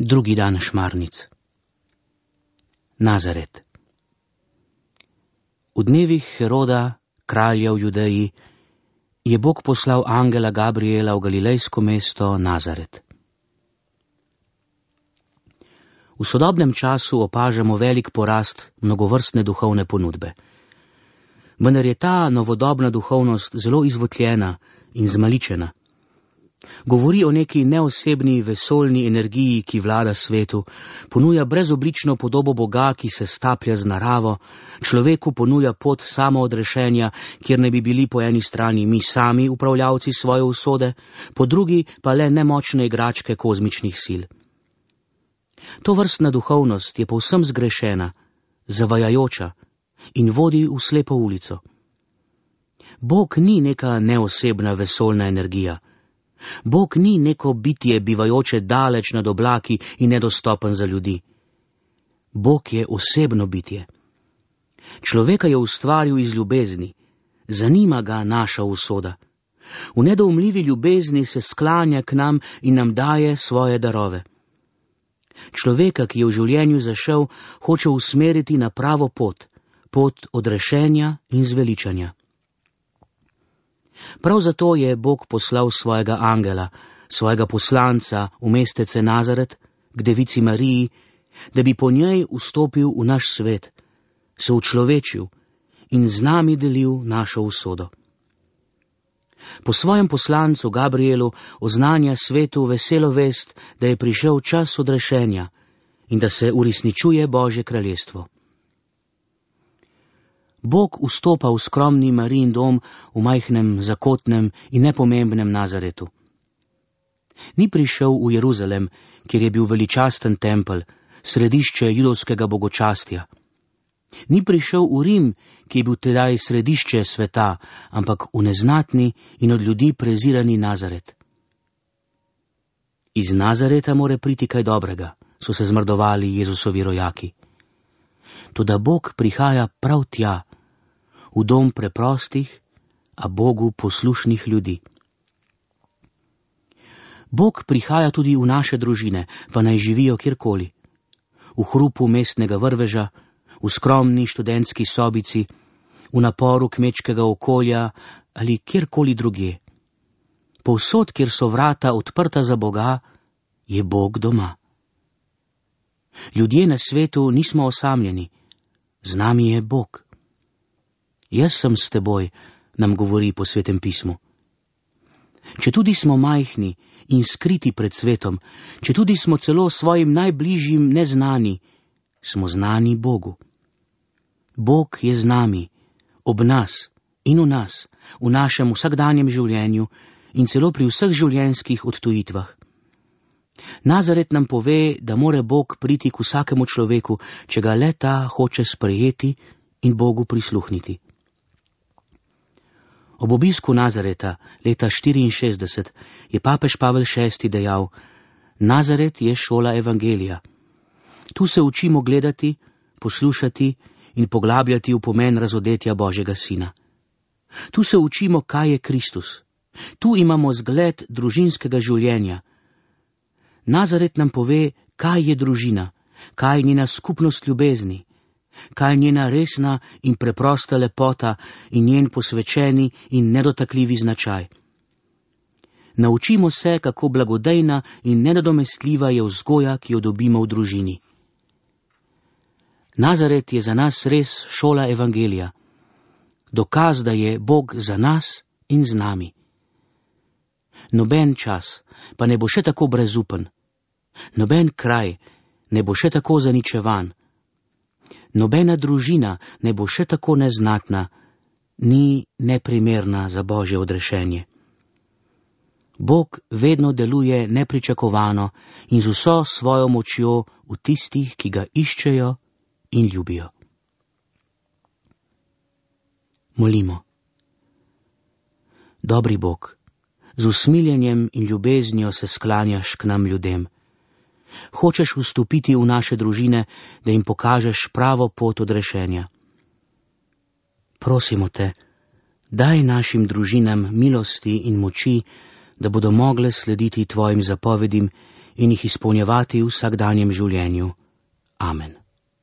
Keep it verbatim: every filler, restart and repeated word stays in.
Drugi dan šmarnic. Nazaret. V dnevih Heroda, kralja v Judeji, je Bog poslal angela Gabriela v galilejsko mesto Nazaret. V sodobnem času opažamo velik porast mnogovrstne duhovne ponudbe. Vendar je ta novodobna duhovnost zelo izvotljena in zmaličena. Govori o neki neosebni vesoljni energiji, ki vlada svetu, ponuja brezoblično podobo Boga, ki se staplja z naravo, človeku ponuja pot samoodrešenja, kjer ne bi bili po eni strani mi sami upravljavci svoje usode, po drugi pa le nemočne igračke kozmičnih sil. To vrstna duhovnost je povsem zgrešena, zavajajoča in vodi v slepo ulico. Bog ni neka neosebna vesoljna energija. Bog ni neko bitje, bivajoče daleč nad oblaki in nedostopen za ljudi. Bog je osebno bitje. Človeka je ustvaril iz ljubezni, zanima ga naša usoda. V nedoumljivi ljubezni se sklanja k nam in nam daje svoje darove. Človeka, ki je v življenju zašel, hoče usmeriti na pravo pot, pot odrešenja in zveličanja. Prav zato je Bog poslal svojega angela, svojega poslanca v mestece Nazaret, k devici Mariji, da bi po njej vstopil v naš svet, se učlovečil in z nami delil našo usodo. Po svojem poslancu Gabrielu oznanja svetu veselo vest, da je prišel čas odrešenja in da se uresničuje Božje kraljestvo. Bog vstopa v skromni Marijin dom v majhnem, zakotnem in nepomembnem Nazaretu. Ni prišel v Jeruzalem, kjer je bil veličasten tempelj, središče judovskega bogočastja. Ni prišel v Rim, ki je bil tedaj središče sveta, ampak v neznatni in od ljudi prezirani Nazaret. Iz Nazareta more priti kaj dobrega, so se zmrdovali Jezusovi rojaki. Toda Bog prihaja prav tja, v dom preprostih, a Bogu poslušnih ljudi. Bog prihaja tudi v naše družine, pa naj živijo kjerkoli. V hrupu mestnega vrveža, v skromni študentski sobici, v naporu kmečkega okolja ali kjerkoli drugje. Povsod, kjer so vrata odprta za Boga, je Bog doma. Ljudje na svetu nismo osamljeni, z nami je Bog. Jaz sem s teboj, nam govori po Svetem pismu. Četudi smo majhni in skriti pred svetom, četudi smo celo svojim najbližjim neznani, smo znani Bogu. Bog je z nami, ob nas in v nas, v našem vsakdanjem življenju in celo pri vseh življenjskih odtujitvah. Nazaret nam pove, da more Bog priti k vsakemu človeku, če ga le ta hoče sprejeti in Bogu prisluhniti. Ob obisku Nazareta leta štiriinšestdeset je papež Pavel šesti dejal: Nazaret je šola evangelija. Tu se učimo gledati, poslušati in poglabljati v pomen razodetja Božjega sina. Tu se učimo, kaj je Kristus. Tu imamo zgled družinskega življenja. Nazaret nam pove, kaj je družina, kaj je njena skupnost ljubezni, kaj je njena resna in preprosta lepota in njen posvečeni in nedotakljivi značaj. Naučimo se, kako blagodejna in nenadomestljiva je vzgoja, ki jo dobimo v družini. Nazaret je za nas res šola evangelija, dokaz, da je Bog za nas in z nami. Noben čas pa ne bo še tako brezupen, noben kraj ne bo še tako zaničevan, nobena družina ne bo še tako neznatna, ni neprimerna za Božje odrešenje. Bog vedno deluje nepričakovano in z vso svojo močjo v tistih, ki ga iščejo in ljubijo. Molimo. Dobri Bog, z usmiljenjem in ljubeznijo se sklanjaš k nam ljudem. Hočeš vstopiti v naše družine, da jim pokažeš pravo pot odrešenja. Prosimo te, daj našim družinam milosti in moči, da bodo mogle slediti tvojim zapovedim in jih izpolnjevati v vsakdanjem življenju. Amen.